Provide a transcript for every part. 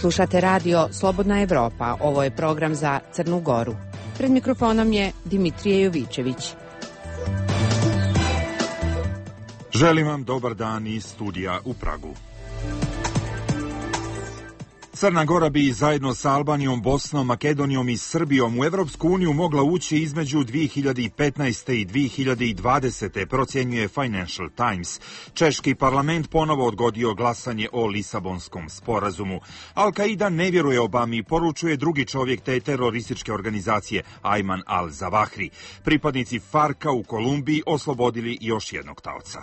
Slušate radio Slobodna Evropa. Ovo je program za Crnu Goru. Pred mikrofonom je Dimitrije Jovičević. Želim vam dobar dan iz studija u Pragu. Crna Gora bi zajedno sa Albanijom, Bosnom, Makedonijom i Srbijom u Evropsku uniju mogla ući između 2015. i 2020. procjenjuje Financial Times. Češki parlament ponovo odgodio glasanje o Lisabonskom sporazumu. Al-Qaida ne vjeruje Obami, poručuje drugi čovjek te terorističke organizacije Ajman al-Zawahri. Pripadnici Farka u Kolumbiji oslobodili još jednog taoca.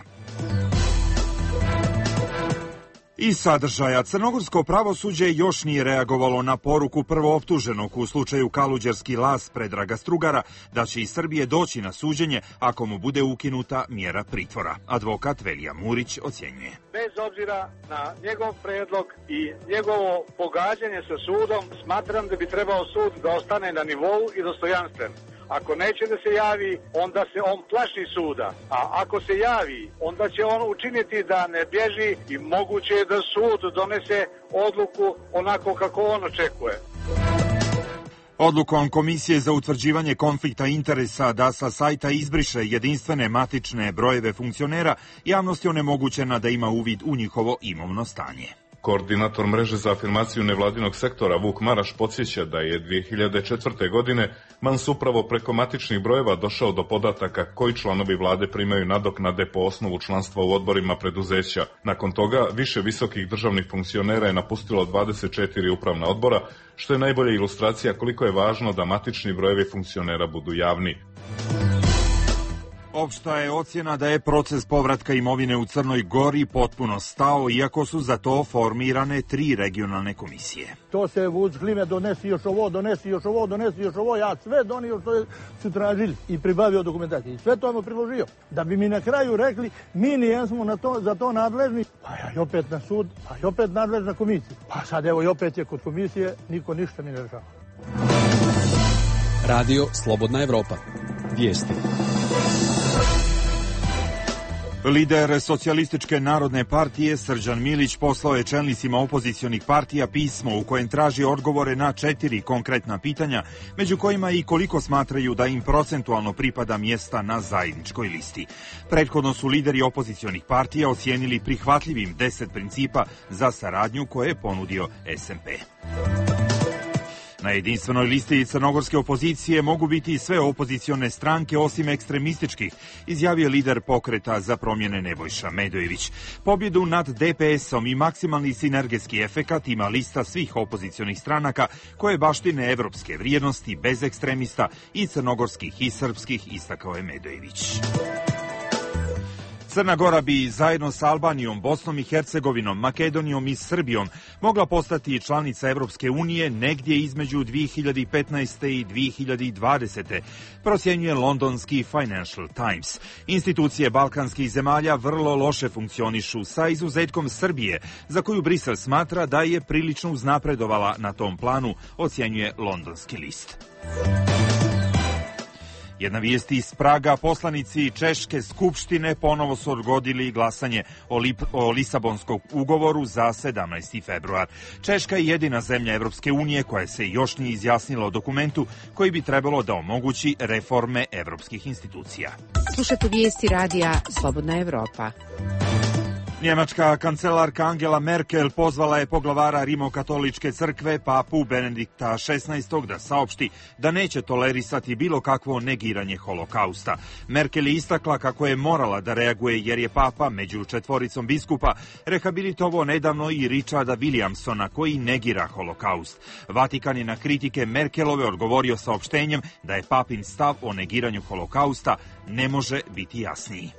Iz sadržaja, crnogorsko pravosuđe još nije reagovalo na poruku prvooptuženog u slučaju Kaluđerski las Predraga Strugara da će iz Srbije doći na suđenje ako mu bude ukinuta mjera pritvora. Advokat Velija Murić ocjenjuje. Bez obzira na njegov predlog i njegovo pogađanje sa sudom, smatram da bi trebao sud da ostane na nivou i dostojanstven. Ako neće da se javi, onda se on plaši suda. A ako se javi, onda će on učiniti da ne bježi i moguće je da sud donese odluku onako kako on očekuje. Odlukom Komisije za utvrđivanje konflikta interesa da sa sajta izbriše jedinstvene matične brojeve funkcionera, javnost je onemogućena da ima uvid u njihovo imovno stanje. Koordinator mreže za afirmaciju nevladinog sektora Vuk Maraš podsjeća da je 2004. godine Mans upravo preko matičnih brojeva došao do podataka koji članovi vlade primaju nadoknade po osnovu članstva u odborima preduzeća. Nakon toga više visokih državnih funkcionera je napustilo 24 upravna odbora, što je najbolja ilustracija koliko je važno da matični brojevi funkcionera budu javni. Opšta je ocjena da je proces povratka imovine u Crnoj Gori potpuno stao, iako su za to formirane 3 regionalne komisije. To se vuč klime, donesi još ovo, ja sve donio što su tražili i pribavio dokumentaciju. Sve to vam priložio. Da bi mi na kraju rekli, mi nijesmo za to nadležni, pa ja i opet na sud, pa i opet nadležna komisija. Pa sad evo i opet je kod komisije, niko ništa mi ne rešava. Radio Slobodna Evropa. Vijesti. Lider Socijalističke narodne partije Srđan Milić poslao je čelnicima opozicionih partija pismo u kojem traži odgovore na 4 konkretna pitanja, među kojima i koliko smatraju da im procentualno pripada mjesta na zajedničkoj listi. Prethodno su lideri opozicionih partija ocijenili prihvatljivim 10 principa za saradnju koje je ponudio SMP. Na jedinstvenoj listi crnogorske opozicije mogu biti sve opozicione stranke osim ekstremističkih, izjavio lider Pokreta za promjene Nebojša Medojević. Pobjedu nad DPS-om i maksimalni sinergetski efekat ima lista svih opozicionih stranaka koje baštine evropske vrijednosti bez ekstremista i crnogorskih i srpskih, istakao je Medojević. Crna Gora bi zajedno sa Albanijom, Bosnom i Hercegovinom, Makedonijom i Srbijom mogla postati članica Evropske unije negdje između 2015. i 2020. procjenjuje londonski Financial Times. Institucije balkanskih zemalja vrlo loše funkcionišu, sa izuzetkom Srbije, za koju Brisel smatra da je prilično uznapredovala na tom planu, ocjenjuje londonski list. Jedna vijest iz Praga, poslanici Češke skupštine ponovo su odgodili glasanje o Lisabonskom ugovoru za 17. februar. Češka je jedina zemlja Evropske unije koja se još nije izjasnila o dokumentu koji bi trebalo da omogući reforme evropskih institucija. Slušate vijesti radija Slobodna Evropa. Njemačka kancelarka Angela Merkel pozvala je poglavara Rimokatoličke crkve, papu Benedikta XVI, da saopšti da neće tolerisati bilo kakvo negiranje holokausta. Merkel je istakla kako je morala da reaguje jer je papa među 4 biskupa rehabilitovao nedavno i Richarda Williamsona koji negira holokaust. Vatikan je na kritike Merkelove odgovorio saopštenjem da je papin stav o negiranju holokausta ne može biti jasniji.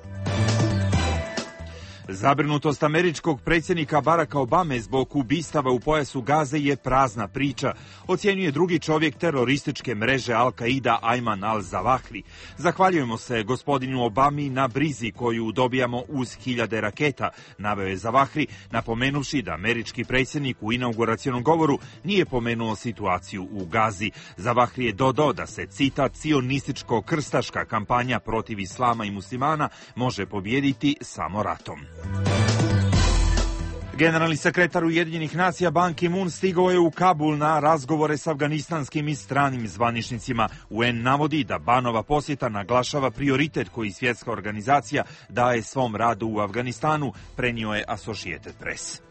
Zabrinutost američkog predsjednika Baracka Obame zbog ubistava u pojasu Gaze je prazna priča, ocjenjuje drugi čovjek terorističke mreže Al-Qaida Ajman al-Zawahri. Zahvaljujemo se gospodinu Obami na brizi koju dobijamo uz 1000 raketa, naveo je Zawahri, napomenuvši da američki predsjednik u inauguracionom govoru nije pomenuo situaciju u Gazi. Zawahri je dodao da se, citat, cionističko-krstaška kampanja protiv islama i muslimana može pobijediti samo ratom. Generalni sekretar Ujedinjenih nacija Ban Ki-moon stigao je u Kabul na razgovore s afganistanskim i stranim zvaničnicima. UN navodi da Banova posjeta naglašava prioritet koji svjetska organizacija daje svom radu u Afganistanu, prenio je Associated Press.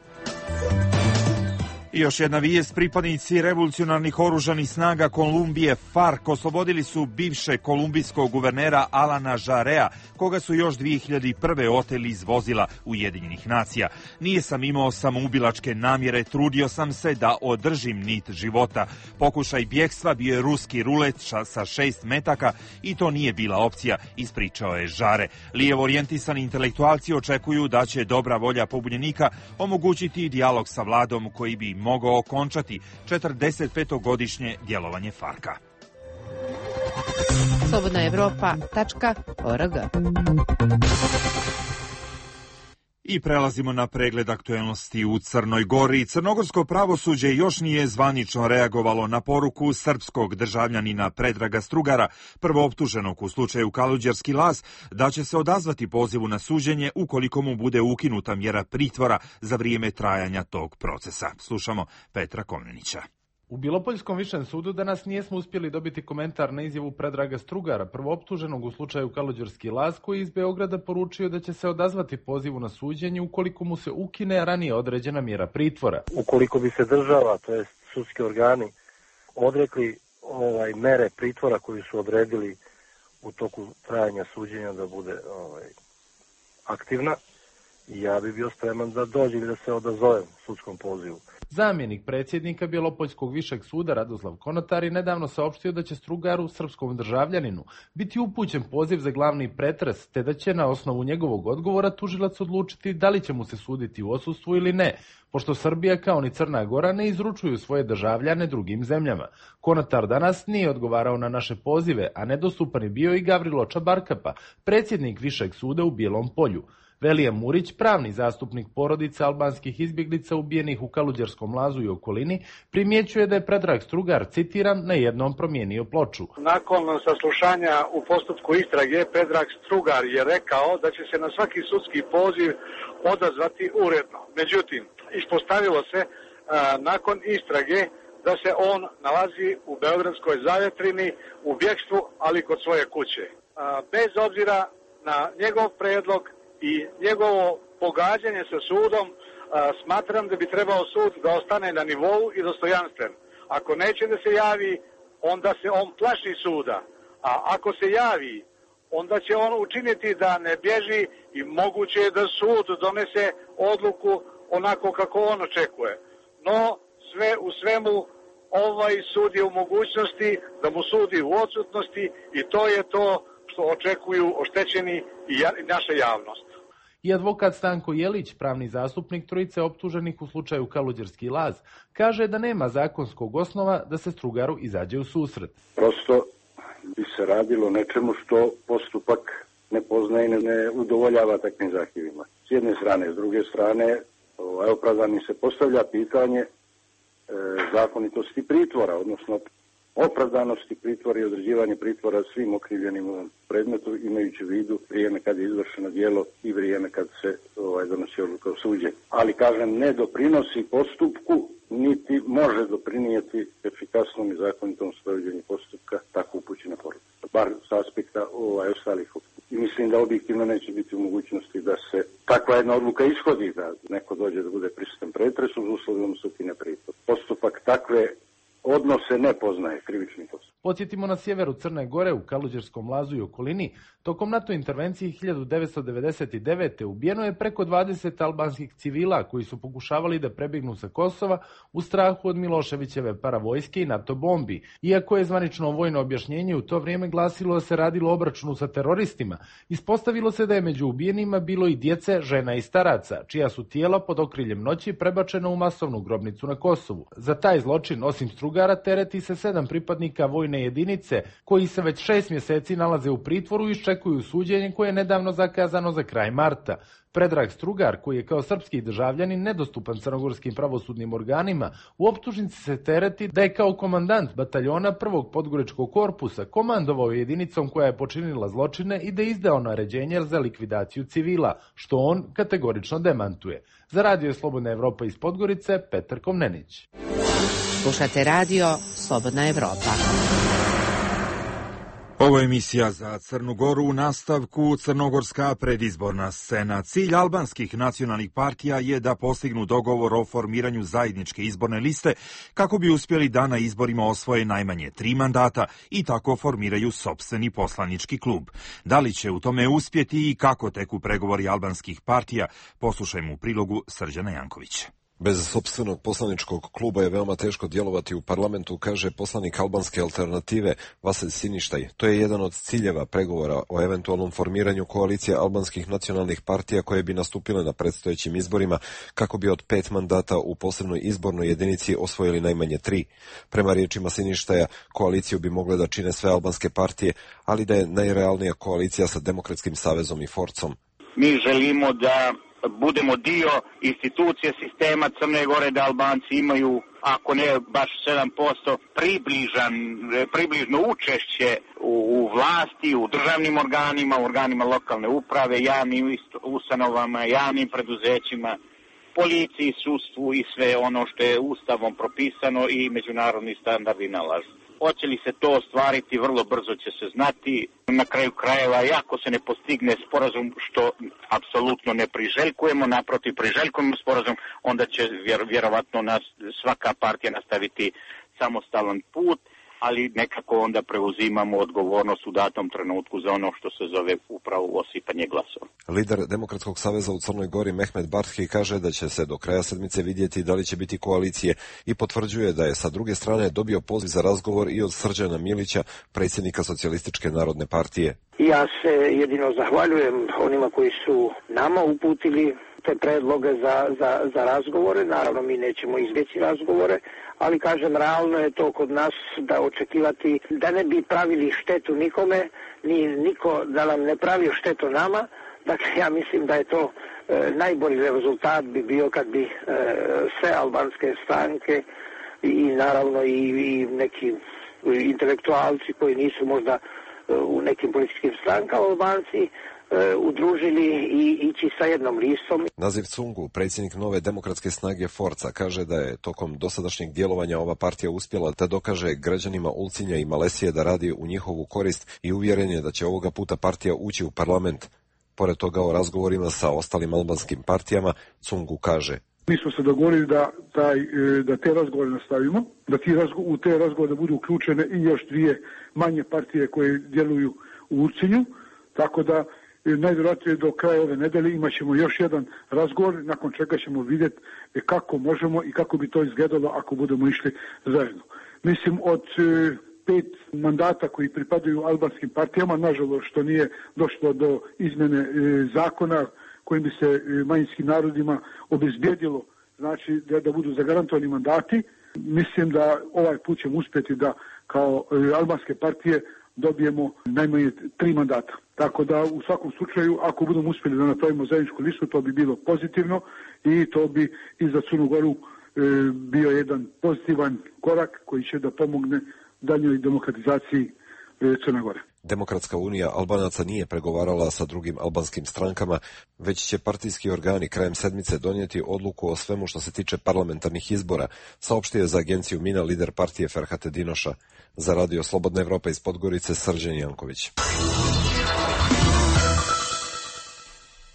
I još jedna vijest, pripadnici revolucionarnih oružanih snaga Kolumbije FARC oslobodili su bivšeg kolumbijskog guvernera Alana Žarea, koga su još 2001. oteli iz vozila Ujedinjenih nacija. Nije sam imao samoubilačke namjere, trudio sam se da održim nit života. Pokušaj bjegstva bio je ruski rulet sa 6 metaka i to nije bila opcija, ispričao je Žare. Lijevo orijentisani intelektualci očekuju da će dobra volja pobunjenika omogućiti dijalog sa vladom koji bi mogao okončati 45-godišnje djelovanje FARC-a. slobodnaevropa.org. I prelazimo na pregled aktuelnosti u Crnoj Gori. Crnogorsko pravosuđe još nije zvanično reagovalo na poruku srpskog državljanina Predraga Strugara, prvooptuženog u slučaju Kaluđerski Las, da će se odazvati pozivu na suđenje ukoliko mu bude ukinuta mjera pritvora za vrijeme trajanja tog procesa. Slušamo Petra Komnenića. U Bilopoljskom višem sudu danas nijesmo uspjeli dobiti komentar na izjavu Predraga Strugara, prvooptuženog u slučaju Kaluđerski Las, koji iz Beograda poručio da će se odazvati pozivu na suđenje ukoliko mu se ukine ranije određena mjera pritvora. Ukoliko bi se država, to jest sudski organi, odrekli mere pritvora koju su odredili u toku trajanja suđenja da bude aktivna, ja bi bio spreman da dođe ili da se odazovem sudskom pozivu. Zamjenik predsjednika Bijelopoljskog višeg suda Radoslav Konotar je nedavno saopštio da će Strugaru, srpskom državljaninu, biti upućen poziv za glavni pretres, te da će na osnovu njegovog odgovora tužilac odlučiti da li će mu se suditi u odsustvu ili ne, pošto Srbija kao ni Crna Gora ne izručuju svoje državljane drugim zemljama. Konotar danas nije odgovarao na naše pozive, a nedostupan je bio i Gavrilo Čabarkapa, predsjednik višeg suda u Bijelom Polju. Velija Murić, pravni zastupnik porodica albanskih izbjeglica ubijenih u Kaluđerskom Lazu i okolini, primjećuje da je Predrag Strugar, citiram, na jednom promijenio ploču. Nakon saslušanja u postupku istrage, Predrag Strugar je rekao da će se na svaki sudski poziv odazvati uredno. Međutim, ispostavilo se nakon istrage da se on nalazi u Beogradskoj Zavetrini u bjegstvu, ali kod svoje kuće. Bez obzira na njegov predlog i njegovo pogađanje sa sudom, smatram da bi trebao sud da ostane na nivou i dostojanstven. Ako neće da se javi, onda se on plaši suda. A ako se javi, onda će on učiniti da ne bježi i moguće je da sud donese odluku onako kako on očekuje. No, sve u svemu, ovaj sud je u mogućnosti da mu sudi u odsutnosti i to je to što očekuju oštećeni i naša javnost. I advokat Stanko Jelić, pravni zastupnik trojice optuženih u slučaju Kaluđerski Laz, kaže da nema zakonskog osnova da se Strugaru izađe u susret. Prosto bi se radilo o nečemu što postupak ne poznaje i ne udovoljava takvim zahtjevima. S jedne strane, s druge strane, opravdani se postavlja pitanje zakonitosti pritvora, odnosno opravdanosti pritvora i određivanje pritvora svim okrivljenim u predmetu, imajući u vidu vrijeme kad je izvršeno djelo i vrijeme kad se donosi odluka o suđenju. Ali, kažem, ne doprinosi postupku, niti može doprinijeti efikasnom i zakonitom sprovođenju postupka tako upućena poruka. Bar s aspekta ostalih. I mislim da objektivno neće biti u mogućnosti da se takva jedna odluka ishodi, da neko dođe da bude prisutan pretresu uz uslovnom sukine pritvor. Postupak takve odnose ne poznaje krivični postupak. Podsjetimo, na sjeveru Crne Gore u Kaluđerskom Lazu i okolini tokom NATO intervencije 1999. ubijeno je preko 20 albanskih civila koji su pokušavali da prebjegnu sa Kosova u strahu od Miloševićeve paravojske i NATO bombi. Iako je zvanično vojno objašnjenje u to vrijeme glasilo da se radilo o obračunu sa teroristima, ispostavilo se da je među ubijenima bilo i djece, žena i staraca, čija su tijela pod okriljem noći prebačena u masovnu grobnicu na Kosovu. Za taj zločin, osim Strugara, tereti se 7 pripadnika vojne jedinice koji se već 6 mjeseci nalaze u pritvoru i iščekuju suđenje koje je nedavno zakazano za kraj marta. Predrag Strugar, koji je kao srpski državljanin nedostupan crnogorskim pravosudnim organima, u optužnici se tereti da je kao komandant bataljona prvog podgoričkog korpusa komandovao jedinicom koja je počinila zločine i da je izdao naređenje za likvidaciju civila, što on kategorično demantuje. Za Radio Slobodna Evropa iz Podgorice, Petar Komnenić. Slušate radio Slobodna Evropa. Ovo je emisija za Crnu Goru. U nastavku crnogorska predizborna scena. Cilj albanskih nacionalnih partija je da postignu dogovor o formiranju zajedničke izborne liste kako bi uspjeli da na izborima osvoje najmanje 3 mandata i tako formiraju sopstveni poslanički klub. Da li će u tome uspjeti i kako teku pregovori albanskih partija, poslušajmo u prilogu Srđana Jankovića. Bez sopstvenog poslaničkog kluba je veoma teško djelovati u parlamentu, kaže poslanik albanske alternative Vasilj Siništaj. To je jedan od ciljeva pregovora o eventualnom formiranju koalicije albanskih nacionalnih partija koje bi nastupile na predstojećim izborima kako bi od 5 mandata u posebnoj izbornoj jedinici osvojili najmanje 3. Prema riječima Siništaja, koaliciju bi mogle da čine sve albanske partije, ali da je najrealnija koalicija sa Demokratskim savezom i Forcom. Mi želimo da budemo dio institucije sistema Crne Gore, da Albanci imaju, ako ne baš 7%, približno učešće u vlasti, u državnim organima, u organima lokalne uprave, javnim ustanovama, javnim preduzećima, policiji, sudstvu i sve ono što je ustavom propisano i međunarodni standardi nalažu. Hoće li se to ostvariti, vrlo brzo će se znati. Na kraju krajeva, ako se ne postigne sporazum, što apsolutno ne priželjkujemo, naprotiv priželjkujemo sporazum, onda će vjerovatno svaka partija nastaviti samostalan put, ali nekako onda preuzimamo odgovornost u datom trenutku za ono što se zove upravo osipanje glasova. Lider Demokratskog saveza u Crnoj Gori Mehmet Barthi kaže da će se do kraja sedmice vidjeti da li će biti koalicije i potvrđuje da je sa druge strane dobio poziv za razgovor i od Srđana Milića, predsjednika Socijalističke narodne partije. Ja se jedino zahvaljujem onima koji su nama uputili te predloge za razgovore. Naravno, mi nećemo izbjeći razgovore, ali kažem, realno je to kod nas da očekivati da ne bi pravili štetu nikome, ni niko da nam ne pravi štetu nama. Dakle, ja mislim da je to najbolji rezultat bi bio kad bi sve albanske stranke i naravno i neki intelektualci koji nisu možda u nekim političkim strankama Albanci udružili i ići sa jednom listom. Nazif Cungu, predsjednik nove demokratske snage Forca, kaže da je tokom dosadašnjeg djelovanja ova partija uspjela da dokaže građanima Ulcinja i Malesije da radi u njihovu korist i uvjeren je da će ovoga puta partija ući u parlament. Pored toga o razgovorima sa ostalim albanskim partijama, Cungu kaže: Mi smo se dogovorili da te razgovore nastavimo, da u te razgovore budu uključene i još 2 manje partije koje djeluju u Ulcinju, tako da najvjerojatnije do kraja ove nedelje imat ćemo još jedan razgovor, nakon čega ćemo vidjeti kako možemo i kako bi to izgledalo ako budemo išli zajedno. Mislim, od 5 mandata koji pripadaju albanskim partijama, nažalost što nije došlo do izmjene zakona kojim bi se manjinskim narodima obezbijedilo, znači da budu zagarantovani mandati. Mislim da ovaj put ćemo uspjeti da kao albanske partije dobijemo najmanje 3 mandata. Tako da u svakom slučaju, ako budemo uspjeli da napravimo zajedničku listu, to bi bilo pozitivno i to bi i za Crnu Goru bio jedan pozitivan korak koji će da pomogne daljnjoj demokratizaciji Crne Gore. Demokratska unija Albanaca nije pregovarala sa drugim albanskim strankama, već će partijski organi krajem sedmice donijeti odluku o svemu što se tiče parlamentarnih izbora, saopštio je za agenciju Mina lider partije Ferhat Edinoša. Za Radio Slobodna Evropa iz Podgorice, Srđan Janković.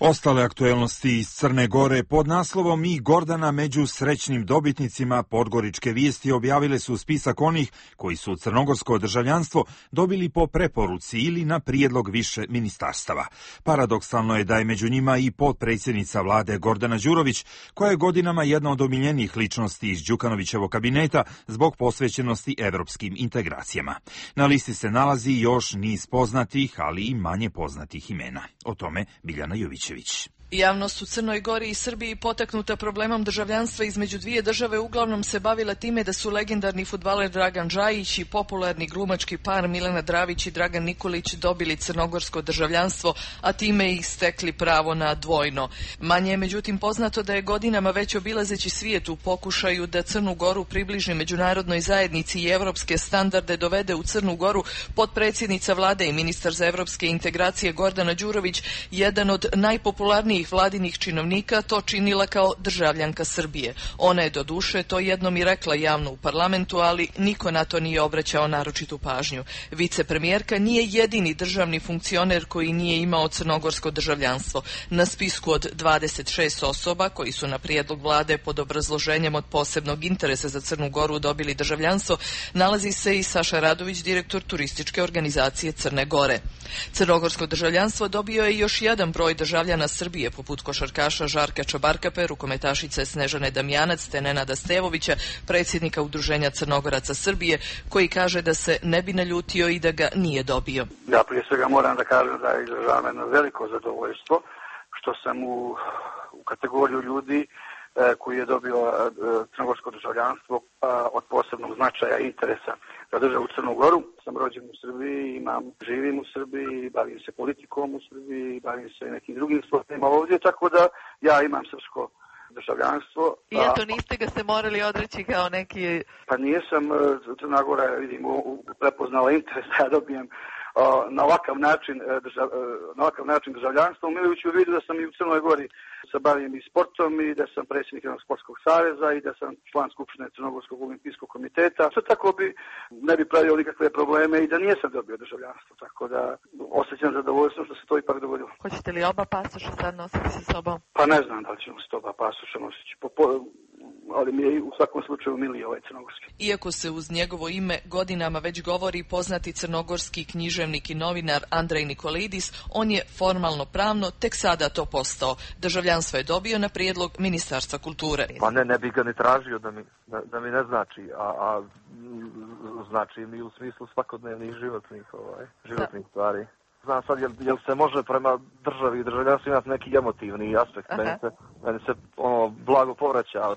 Ostale aktuelnosti iz Crne Gore pod naslovom I Gordana među srećnim dobitnicima Podgoričke vijesti objavile su spisak onih koji su crnogorsko državljanstvo dobili po preporuci ili na prijedlog više ministarstava. Paradoksalno je da je među njima i potpredsjednica vlade Gordana Đurović, koja je godinama jedna od omiljenijih ličnosti iz Đukanovićevog kabineta zbog posvećenosti evropskim integracijama. Na listi se nalazi još niz poznatih, ali i manje poznatih imena. O tome Biljana Jovićević. Javnost u Crnoj Gori i Srbiji potaknuta problemom državljanstva između dvije države uglavnom se bavila time da su legendarni fudbaler Dragan Džajić i popularni glumački par Milena Dravić i Dragan Nikolić dobili crnogorsko državljanstvo, a time ih stekli pravo na dvojno. Manje je međutim poznato da je godinama već obilazeći svijet u pokušaju da Crnu Goru približi međunarodnoj zajednici i evropske standarde dovede u Crnu Goru potpredsjednica vlade i ministar za evropske integracije Gordana Đurović, jedan od najpopularnijih vladinih činovnika, to činila kao državljanka Srbije. Ona je doduše to jednom i rekla javno u parlamentu, ali niko na to nije obraćao naročitu pažnju. Vicepremijerka nije jedini državni funkcioner koji nije imao crnogorsko državljanstvo. Na spisku od 26 osoba koji su na prijedlog vlade pod obrazloženjem od posebnog interesa za Crnu Goru dobili državljanstvo, nalazi se i Saša Radović, direktor turističke organizacije Crne Gore. Crnogorsko državljanstvo dobio je još jedan broj državljana Srbije, poput košarkaša Žarka Čabarkape, rukometašice Snežane Damjanac te Nenada Stevovića, predsjednika Udruženja Crnogoraca Srbije, koji kaže da se ne bi naljutio i da ga nije dobio. Ja prije svega moram da kažem da izražavam jedno veliko zadovoljstvo što sam u kategoriju ljudi koji je dobio crnogorsko državljanstvo od posebnog značaja i interesa za državu Crnu Goru. Sam rođen u Srbiji, živim u Srbiji, bavim se politikom u Srbiji, bavim se nekim drugim stvarima ovdje, tako da ja imam srpsko državljanstvo. I eto, niste ga se morali odreći kao neki... Pa nisam, Crna Gora, vidim, prepoznala interes da ja dobijem na ovakav način državljanstvo, imajući u vidu da sam i u Crnoj Gori se bavim i sportom i da sam predsjednik jednog sportskog saveza i da sam član Skupštine Crnogorskog olimpijskog komiteta. Sve tako ne bi pravio nikakve probleme i da nijesam dobio državljanstvo, tako da osjećam zadovoljstvo što se to ipak dogodilo. Hoćete li oba pasoša sad nositi sa sobom? Pa ne znam da li ćemo se oba pasoša nositi, ali mi je u svakom slučaju miliji ovaj crnogorski. Iako se uz njegovo ime godinama već govori poznati crnogorski književnik i novinar Andrej Nikolidis, on je formalno pravno tek sada to postao. Državljanstvo je dobio na prijedlog Ministarstva kulture. Pa ne bi ga ni tražio da mi ne znači, a znači mi u smislu svakodnevnih životnih stvari. Znam sad, jel se može prema državi i državljanstvu imati neki emotivni aspekt? Meni se blago povraća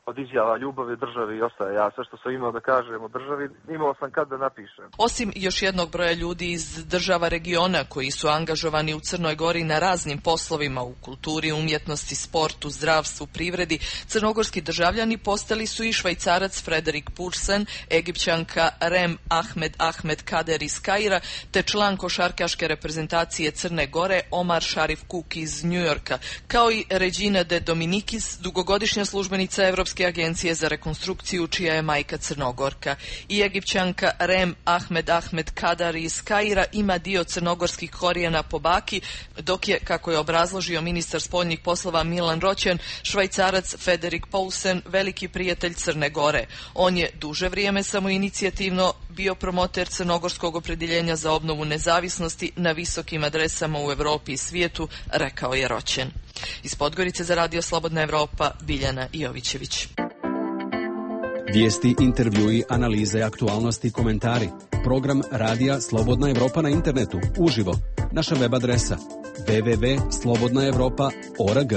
od izjava ljubavi državi i ostaje. Ja sve što sam imao da kažem o državi, imao sam kad da napišem. Osim još jednog broja ljudi iz država regiona koji su angažovani u Crnoj Gori na raznim poslovima u kulturi, umjetnosti, sportu, zdravstvu, privredi, crnogorski državljani postali su i Švajcarac Frederik Pursen, Egipćanka Rem Ahmed Kader iz Kaira, te član košarkaške reprezentacije Crne Gore Omar Šarif Kuk iz Njujorka, kao i Regina de Dominikis, dugogodišnja službenica Evropske agencije za rekonstrukciju, čija je majka Crnogorka. I Egipćanka Rem Ahmed Kadar iz Kaira ima dio crnogorskih korijena po baki, dok je, kako je obrazložio ministar spoljnih poslova Milan Roćen, Švajcarac Frederik Paulsen veliki prijatelj Crne Gore. On je duže vrijeme samoinicijativno bio promoter crnogorskog opredjeljenja za obnovu nezavisnosti na visokim adresama u Europi i svijetu, rekao je Roćen. Iz Podgorice za Radio Slobodna Evropa, Biljana Jovićević. Vijesti, intervjui, analize, aktualnosti, komentari. Program Radija Slobodna Evropa na internetu, uživo. Naša web adresa www.slobodnaevropa.org.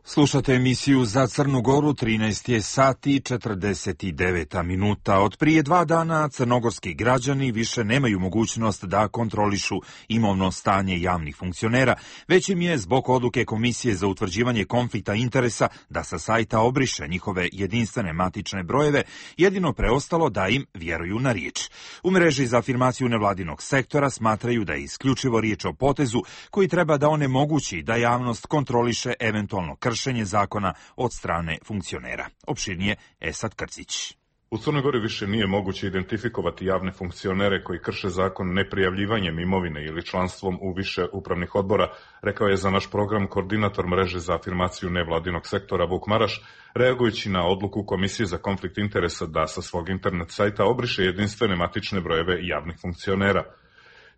Slušate emisiju Za Crnu Goru, 13 je sati 49 minuta. Od prije 2 dana crnogorski građani više nemaju mogućnost da kontrolišu imovno stanje javnih funkcionera, već im je zbog odluke Komisije za utvrđivanje konflikta interesa da sa sajta obriše njihove jedinstvene matične brojeve jedino preostalo da im vjeruju na riječ. U mreži za afirmaciju nevladinog sektora smatraju da je isključivo riječ o potezu koji treba da onemogući da javnost kontroliše eventualno kršenje zakona od strane funkcionera. Opširnije Esad Krcić. U Crnoj Gori više nije moguće identifikovati javne funkcionere koji krše zakon neprijavljivanjem imovine ili članstvom u više upravnih odbora, rekao je za naš program koordinator mreže za afirmaciju nevladinog sektora Vuk Maraš, reagujući na odluku Komisije za konflikt interesa da sa svog internet sajta obriše jedinstvene matične brojeve javnih funkcionera.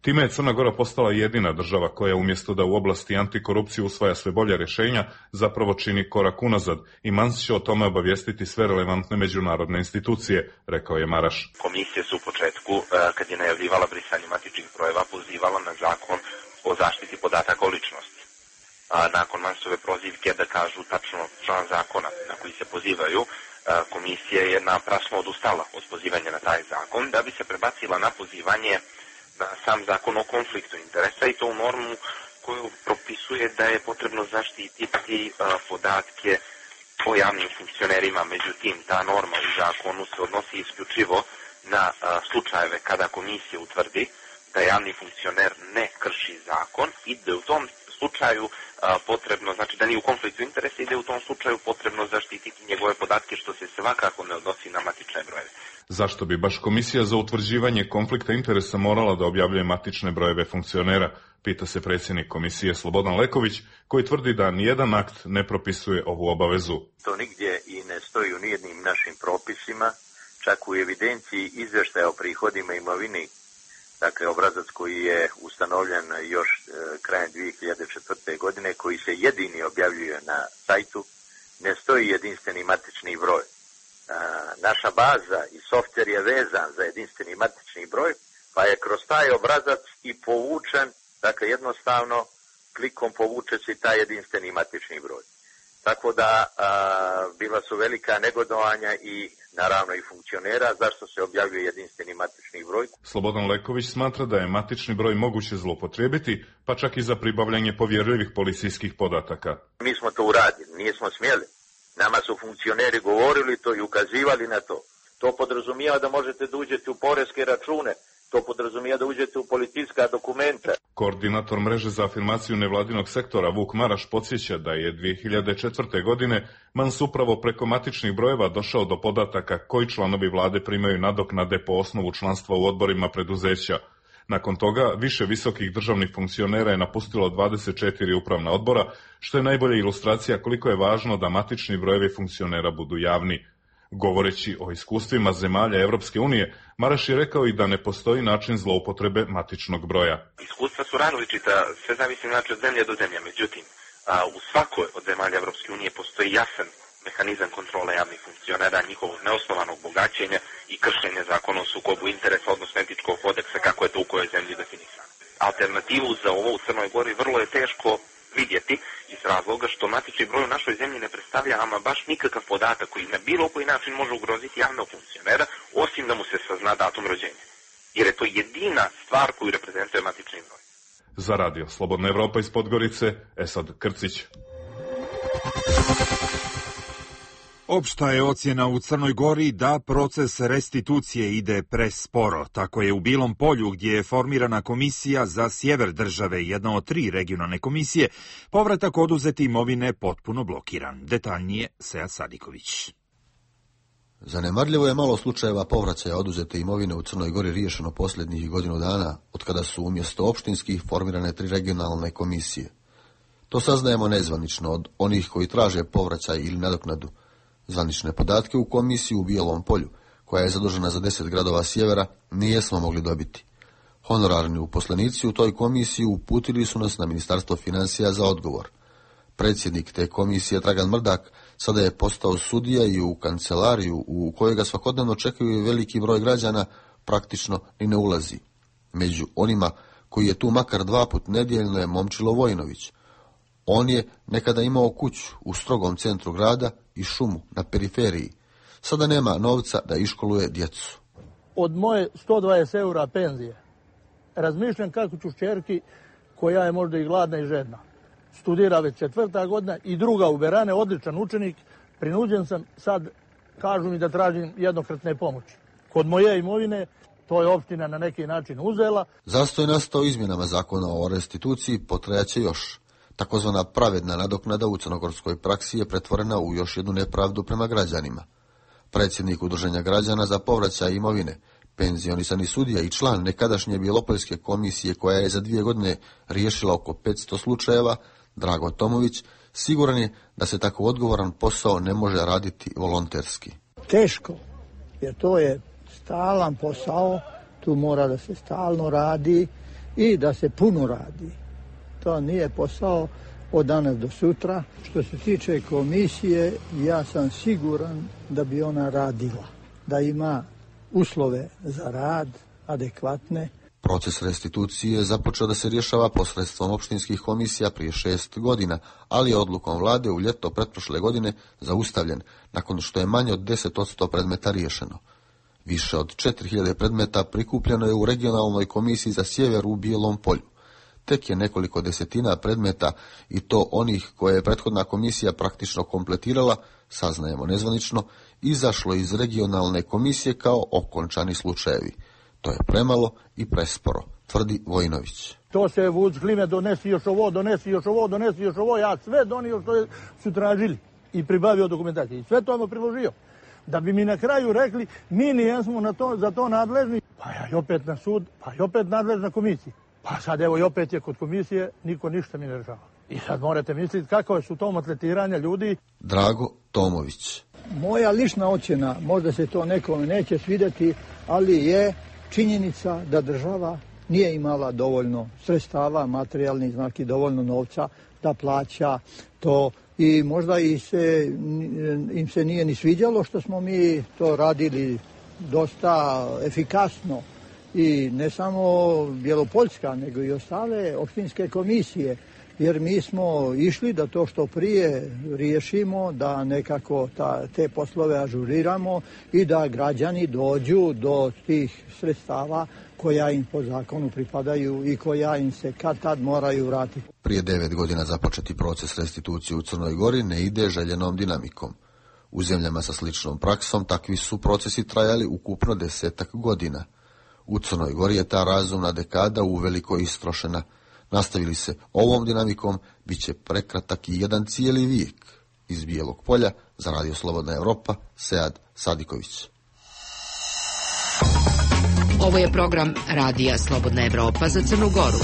Time je Crna Gora postala jedina država koja umjesto da u oblasti antikorupcije usvaja sve bolje rješenja, zapravo čini korak unazad i Mans će o tome obavijestiti sve relevantne međunarodne institucije, rekao je Maraš. Komisija su u početku, kad je najavljivala brisanje matičnih brojeva, pozivala na zakon o zaštiti podataka o ličnosti. Nakon Mansove prozivke da kažu tačno član zakona na koji se pozivaju, komisija je naprasno odustala od pozivanja na taj zakon da bi se prebacila na pozivanje na sam zakon o konfliktu interesa i to u normu koju propisuje da je potrebno zaštititi podatke o javnim funkcionerima. Međutim, ta norma u zakonu se odnosi isključivo na slučajeve kada komisija utvrdi da javni funkcioner ne krši zakon i da u tom slučaju potrebno, znači da nije u konfliktu interesa i da je u tom slučaju potrebno zaštititi njegove podatke, što se svakako ne odnosi na matične brojeve. Zašto bi baš Komisija za utvrđivanje konflikta interesa morala da objavljuje matične brojeve funkcionera, pita se predsjednik komisije Slobodan Leković, koji tvrdi da nijedan akt ne propisuje ovu obavezu. To nigdje i ne stoji u nijednim našim propisima, čak u evidenciji izvještaja o prihodima imovini, dakle obrazac koji je ustanovljen još krajem 2004. godine, koji se jedini objavljuje na sajtu, ne stoji jedinstveni matični broj. Naša baza i softver je vezan za jedinstveni matični broj, pa je kroz taj obrazac i povučen, dakle jednostavno klikom povuče se taj jedinstveni matični broj. Tako da bila su velika negodovanja i naravno i funkcionera zašto se objavljuje jedinstveni matični broj. Slobodan Leković smatra da je matični broj moguće zloupotrijebiti, pa čak i za pribavljanje povjerljivih policijskih podataka. Mi smo to uradili, nismo smjeli. Nama su funkcioneri govorili to i ukazivali na to. To podrazumijeva da možete da uđete u poreske račune, to podrazumijeva da uđete u policijska dokumenta. Koordinator mreže za afirmaciju nevladinog sektora Vuk Maraš podsjeća da je 2004. godine Mans upravo preko matičnih brojeva došao do podataka koji članovi vlade primaju nadoknade po osnovu članstva u odborima preduzeća. Nakon toga više visokih državnih funkcionera je napustilo 24 upravna odbora, što je najbolja ilustracija koliko je važno da matični brojevi funkcionera budu javni. Govoreći o iskustvima zemalja Evropske unije, Maraš je rekao i da ne postoji način zloupotrebe matičnog broja. Iskustva su različita, sve zavisi znači od zemlje do zemlje. Međutim, u svakoj od zemalja Evropske unije postoji jasan mehanizam kontrole javnih funkcionera, njihovog neosnovanog bogaćenja i kršenja zakona o sukobu interesa, odnosno etičkog kodeksa, kako je to u kojoj zemlji definisano. Alternativu za ovo u Crnoj Gori vrlo je teško vidjeti iz razloga što matični broj u našoj zemlji ne predstavlja ama baš nikakav podatak koji na bilo koji način može ugroziti javnog funkcionera, osim da mu se sazna datum rođenja. Jer je to jedina stvar koju reprezentuje matični broj. Za radio Slobodna Evropa iz Podgorice, Esad Krcić. Opšta je ocjena u Crnoj Gori da proces restitucije ide presporo. Tako je u Bilom Polju, gdje je formirana komisija za sjever države, jedna od 3 regionalne komisije, povratak oduzete imovine potpuno blokiran. Detaljnije Sead Sadiković. Zanemarljivo je malo slučajeva povraćaja oduzete imovine u Crnoj Gori riješeno posljednjih godinu dana, otkada su umjesto opštinskih formirane 3 regionalne komisije. To saznajemo nezvanično od onih koji traže povraćaj ili nadoknadu. Zvanične podatke u komisiji u Bijelom Polju, koja je zadužena za 10 gradova sjevera, nijesmo mogli dobiti. Honorarni uposlenici u toj komisiji uputili su nas na Ministarstvo financija za odgovor. Predsjednik te komisije, Dragan Mrdak, sada je postao sudija i u kancelariju u kojoj ga svakodnevno čekaju veliki broj građana, praktično ni ne ulazi. Među onima koji je tu makar 2 put nedjeljno je Momčilo Vojinović. On je nekada imao kuću u strogom centru grada i šumu na periferiji. Sada nema novca da iškoluje djecu. Od moje 120 eura penzije razmišljam kako ću šćerki, koja je možda i gladna i žedna, studira već 4. godina i druga u Berane, odličan učenik, prinuđen sam sad, kažu mi da tražim jednokratne pomoći. Kod moje imovine to je opština na neki način uzela. Zastoj nastao izmjenama zakona o restituciji potrajaće još. Takozvana pravedna nadoknada u crnogorskoj praksi je pretvorena u još jednu nepravdu prema građanima. Predsjednik Udruženja građana za povraćaj imovine, penzionisani sudija i član nekadašnje Bijelopoljske komisije koja je za 2 godine riješila oko 500 slučajeva, Drago Tomović, siguran je da se tako odgovoran posao ne može raditi volonterski. Teško, jer to je stalan posao, tu mora da se stalno radi, i da se puno radi. To nije posao od danas do sutra. Što se tiče komisije, ja sam siguran da bi ona radila, da ima uslove za rad adekvatne. Proces restitucije je započeo da se rješava posredstvom opštinskih komisija prije 6 godina, ali je odlukom vlade u ljeto pretprošle godine zaustavljen, nakon što je manje od 10% predmeta riješeno. Više od 4000 predmeta prikupljeno je u regionalnoj komisiji za sjever u Bijelom Polju. Tek je nekoliko desetina predmeta, i to onih koje je prethodna komisija praktično kompletirala, saznajemo nezvanično, izašlo iz regionalne komisije kao okončani slučajevi. To je premalo i presporo, tvrdi Vojinović. To se vuč klime, donesi još ovo, donesi još ovo, donesi još ovo, ja sve donio što su tražili i pribavio dokumentaciju. I sve to ono priložio. Da bi mi na kraju rekli, mi nijesmo za to nadležni, pa ja i opet na sud, pa i opet nadležna komisija. Pa sad evo i opet je kod komisije, niko ništa mi ne rešava. I sad morate misliti kako su to atletiranja ljudi. Drago Tomović. Moja lična ocjena, možda se to nekome neće svidjeti, ali je činjenica da država nije imala dovoljno sredstava, materijalnih, znači dovoljno novca da plaća to. I možda im se nije ni sviđalo što smo mi to radili dosta efikasno. I ne samo Bjelopoljska, nego i ostale opštinske komisije. Jer mi smo išli da to što prije riješimo, da nekako te poslove ažuriramo i da građani dođu do tih sredstava koja im po zakonu pripadaju i koja im se kad tad moraju vratiti. Prije 9 godina započeti proces restitucije u Crnoj Gori ne ide željenom dinamikom. U zemljama sa sličnom praksom takvi su procesi trajali ukupno 10 godina. U Crnoj Gori je ta razumna dekada uveliko istrošena. Nastavili se ovom dinamikom, bit će prekratak i jedan cijeli vijek. Iz Bijelog Polja, za Radio Slobodna Evropa, Sead Sadiković. Ovo je program Radija Slobodna Evropa za Crnu Goru.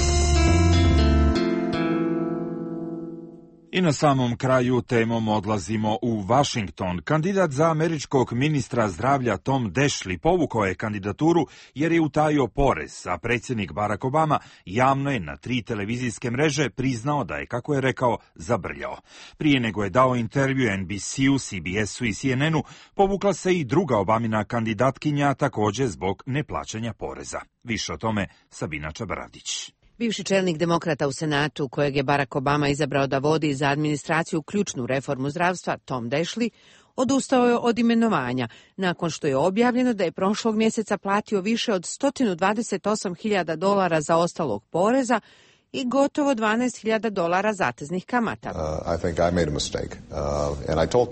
I na samom kraju temom odlazimo u Washington. Kandidat za američkog ministra zdravlja Tom Daschle povukao je kandidaturu jer je utajio porez, a predsjednik Barack Obama javno je na 3 televizijske mreže priznao da je, kako je rekao, zabrljao. Prije nego je dao intervju NBC-u, CBS-u i CNN-u, povukla se i druga Obamina kandidatkinja, također zbog neplaćanja poreza. Više o tome Sabina Čabaradić. Bivši čelnik demokrata u Senatu, kojeg je Barack Obama izabrao da vodi za administraciju ključnu reformu zdravstva, Tom Daschle, odustao je od imenovanja, nakon što je objavljeno da je prošlog mjeseca platio više od $128.000 zaostalog poreza i gotovo $12.000 zateznih kamata.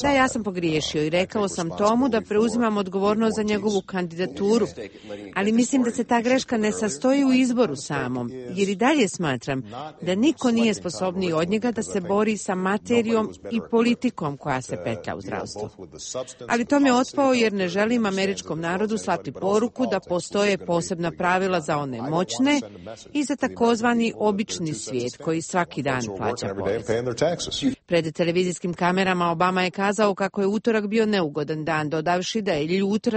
Da, ja sam pogriješio i rekao sam Tomu da preuzimam odgovornost za njegovu kandidaturu, ali mislim da se ta greška ne sastoji u izboru samom, jer i dalje smatram da niko nije sposobniji od njega da se bori sa materijom i politikom koja se petlja u zdravstvu. Ali Tom je otpao jer ne želim američkom narodu slati poruku da postoje posebna pravila za one moćne i za takozvani obični svijet koji svaki dan plaća porez. Pred televizijskim kamerama Obama je kazao kako je utorak bio neugodan dan, dodavši da je ljut,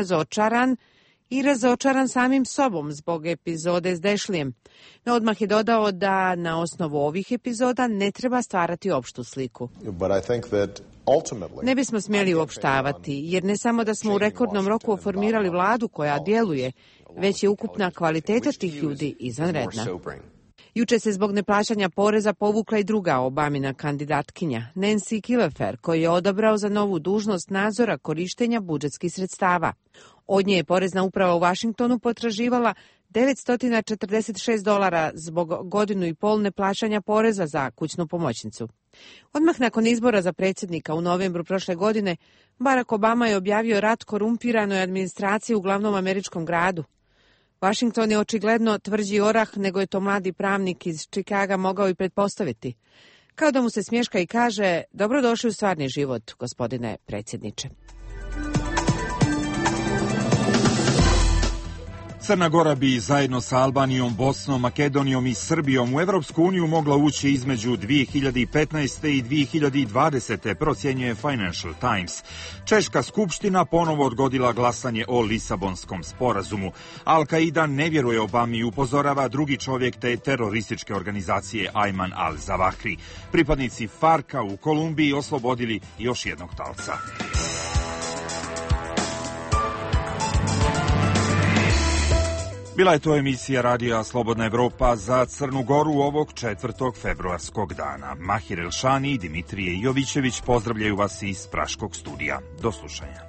razočaran samim sobom zbog epizode s Daschlejem. No odmah je dodao da na osnovu ovih epizoda ne treba stvarati opštu sliku. Ne bismo smjeli uopštavati, jer ne samo da smo u rekordnom roku oformirali vladu koja djeluje, već je ukupna kvaliteta tih ljudi izvanredna. Juče se zbog neplaćanja poreza povukla i druga Obamina kandidatkinja, Nancy Killefer, koju je odabrao za novu dužnost nadzora korištenja budžetskih sredstava. Od nje je porezna uprava u Washingtonu potraživala $946 zbog 1,5 godine neplaćanja poreza za kućnu pomoćnicu. Odmah nakon izbora za predsjednika u novembru prošle godine, Barack Obama je objavio rat korumpiranoj administraciji u glavnom američkom gradu. Washington je očigledno tvrđi orah nego je to mladi pravnik iz Chicaga mogao i pretpostaviti. Kao da mu se smješka i kaže, dobrodošli u stvarni život, gospodine predsjedniče. Crna Gora bi zajedno sa Albanijom, Bosnom, Makedonijom i Srbijom u Evropsku uniju mogla ući između 2015. i 2020. procjenjuje Financial Times. Češka skupština ponovo odgodila glasanje o Lisabonskom sporazumu. Al-Qaida ne vjeruje Obami i upozorava drugi čovjek te terorističke organizacije Ayman al-Zawahri. Pripadnici Farka u Kolumbiji oslobodili još jednog talca. Bila je to emisija Radija Slobodna Evropa za Crnu Goru ovog 4. februarskog dana. Mahir Elšani i Dimitrije Jovićević pozdravljaju vas iz Praškog studija. Do slušanja.